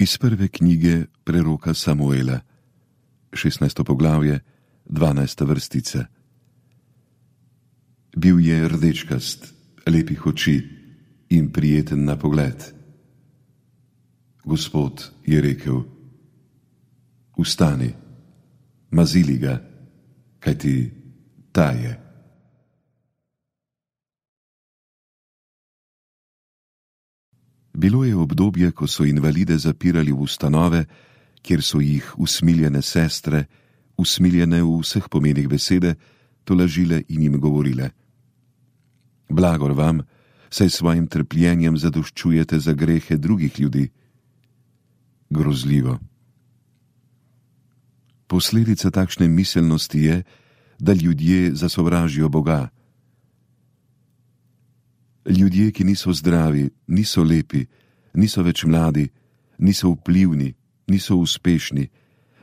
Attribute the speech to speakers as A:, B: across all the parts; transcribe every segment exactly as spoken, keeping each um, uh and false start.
A: Iz prve knjige preroka Samuela, šestnajsto poglavje, dvanajsta vrstica. Bil je rdečkast, lepih oči in prijeten na pogled. Gospod je rekel: Vstani, mazili ga, kajti ta je. Bilo je obdobje, ko so invalide zapirali v ustanove, kjer so jih usmiljene sestre, usmiljene v vseh pomenih besede, tolažile in jim govorile: Blagor vam, saj svojim trpljenjem zadoščujete za grehe drugih ljudi. Grozljivo. Posledica takšne miselnosti je, da ljudje zasovražijo Boga. Ljudje, ki niso zdravi, niso lepi, niso več mladi, niso vplivni, niso uspešni,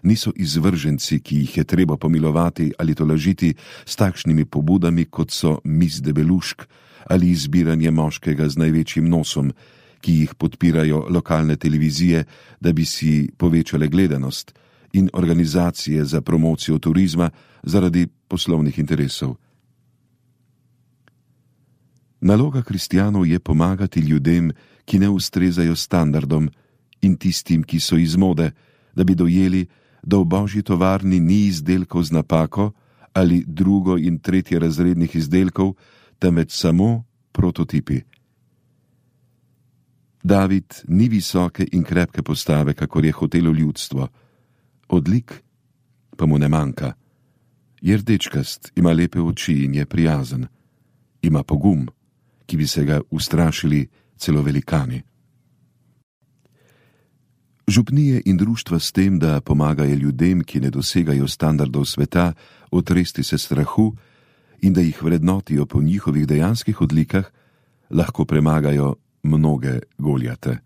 A: niso izvrženci, ki jih je treba pomilovati ali tolažiti s takšnimi pobudami, kot so mis debelušk ali izbiranje moškega z največjim nosom, ki jih podpirajo lokalne televizije, da bi si povečale gledanost, in organizacije za promocijo turizma zaradi poslovnih interesov. Naloga kristjanov je pomagati ljudem, ki ne ustrezajo standardom, in tistim, ki so iz mode, da bi dojeli, da v božji tovarni ni izdelkov z napako ali drugo in tretje razrednih izdelkov, temveč samo prototipi. David ni visoke in krepke postave, kakor je hotelo ljudstvo. Odlik pa mu ne manjka. Je rdečkast, ima lepe oči in je prijazen. Ima pogum, ki bi se ga ustrašili celo velikani. Župnije in društva s tem, da pomagajo ljudem, ki ne dosegajo standardov sveta, otresti se strahu in da jih vrednotijo po njihovih dejanskih odlikah, lahko premagajo mnoge Goljate.